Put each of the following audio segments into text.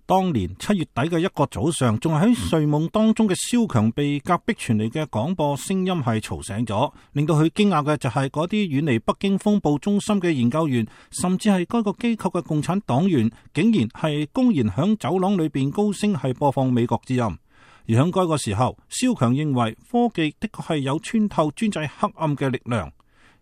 當年7月底嘅一個早上，仲係喺睡夢當中嘅蕭強被隔壁傳嚟嘅廣播聲音係嘈醒咗，令到佢驚訝嘅就係嗰啲遠離北京風暴中心嘅研究員，甚至係該個機構嘅共產黨員，竟然係公然響走廊裏邊高聲係播放美國之音。而響該個時候，蕭強認為科技的確係有穿透專制黑暗嘅力量。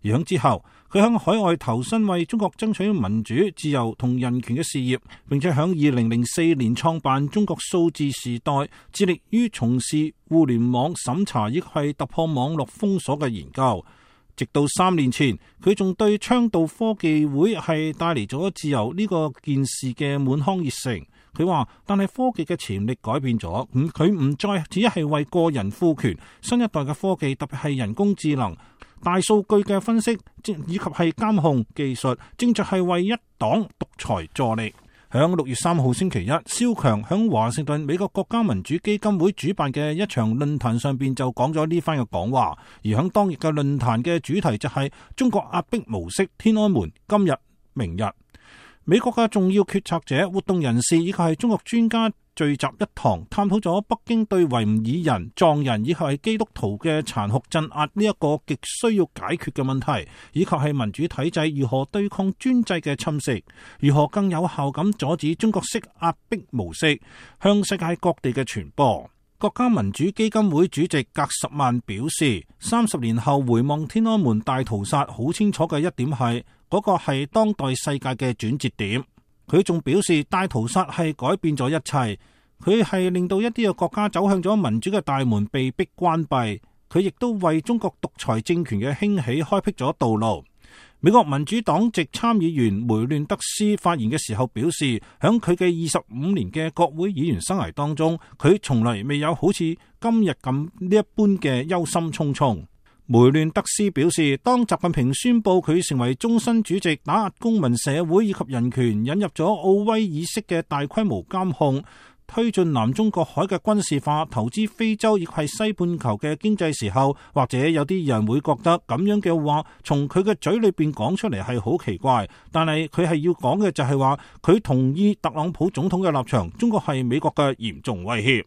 而響之後，佢響海外投身為中國爭取民主、自由同人權嘅事業，並且響2004年創辦中國數字時代，致力於從事互聯網審查，亦係突破網絡封鎖嘅研究。直到3年前，佢仲對倡導科技會係帶嚟咗自由呢個件事嘅滿腔熱誠。佢話，但係科技嘅潛力改變咗，佢唔再只係為個人賦權，新一代嘅科技，特別係人工智能、大數據嘅分析以及係監控技術，正在係為一黨獨裁助力。響6月3號星期一，蕭強響華盛頓美國國家民主基金會主辦嘅一場論壇上邊就講咗呢番嘅講話，而響當日嘅論壇嘅主題就係中國壓迫模式，天安門今日明日。美國嘅重要決策者、活動人士以及係中國專家聚集一堂，探討咗北京對維吾爾人、藏人以及係基督徒嘅殘酷鎮壓呢一個極需要解決嘅問題，以及係民主體制如何對抗專制嘅侵蝕，如何更有效咁阻止中國式壓迫模式向世界各地嘅傳播。國家民主基金會主席格什曼表示，30年後回望天安門大屠殺，好清楚嘅一點係嗰個係當代世界嘅轉折點。佢仲表示，大屠殺係改變咗一切，佢係令到一啲嘅國家走向咗民主嘅大門被迫關閉，佢亦都為中國獨裁政權嘅興起開闢咗道路。美國民主黨籍參議員梅亂德斯發言嘅時候表示，響佢嘅25年嘅國會議員生涯當中，佢從來未有好似今日咁呢一般嘅憂心忡忡。梅亂德斯表示，當習近平宣布佢成為終身主席，打壓公民社會以及人權，引入咗奧威爾式嘅大規模監控，推進南中國海嘅軍事化，投資非洲亦係西半球嘅經濟時候，或者有啲人會覺得咁樣嘅話，從佢嘅嘴裏邊講出嚟係好奇怪，但係佢係要講嘅就係話，佢同意特朗普總統嘅立場，中國係美國嘅嚴重威脅。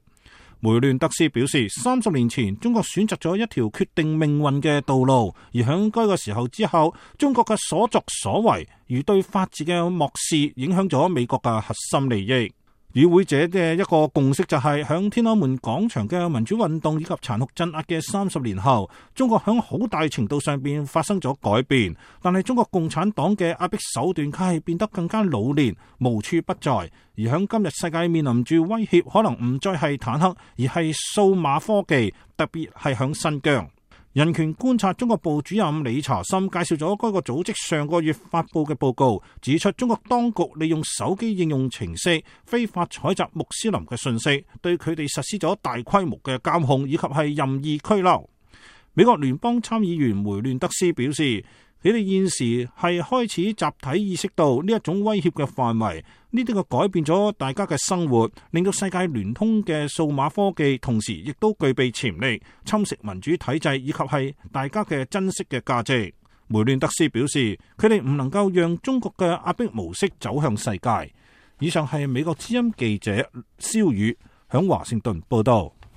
梅亂德斯表示，30年前中國選擇咗一條決定命運嘅道路，而響該個時候之後，中國嘅所作所為如對法治嘅漠視，影響咗美國嘅核心利益。與會者嘅一個共識就係，響天安門廣場嘅民主運動以及殘酷鎮壓嘅30年後，中國響好大程度上邊發生咗改變，但係中國共產黨嘅壓迫手段卻係變得更加老練，無處不在。而響今日世界面臨住威脅，可能唔再係坦克，而係數碼科技，特別係響新疆。人權觀察中國部主任李查森介紹咗該個組織上個月發佈嘅報告，指出中國當局利用手機應用程式非法採集穆斯林嘅信息，對佢哋實施咗大規模嘅監控以及係任意拘留。美國聯邦參議員梅亂德斯表示，佢哋現時係開始集體意識到呢一種威脅嘅範圍，呢啲嘅改變咗大家嘅生活，令到世界聯通嘅數碼科技，同時亦都具備潛力侵蝕民主體制以及係大家嘅珍惜嘅價值。梅亂德斯表示，佢哋唔能夠讓中國嘅壓迫模式走向世界。以上係美國之音記者蕭宇響華盛頓報道。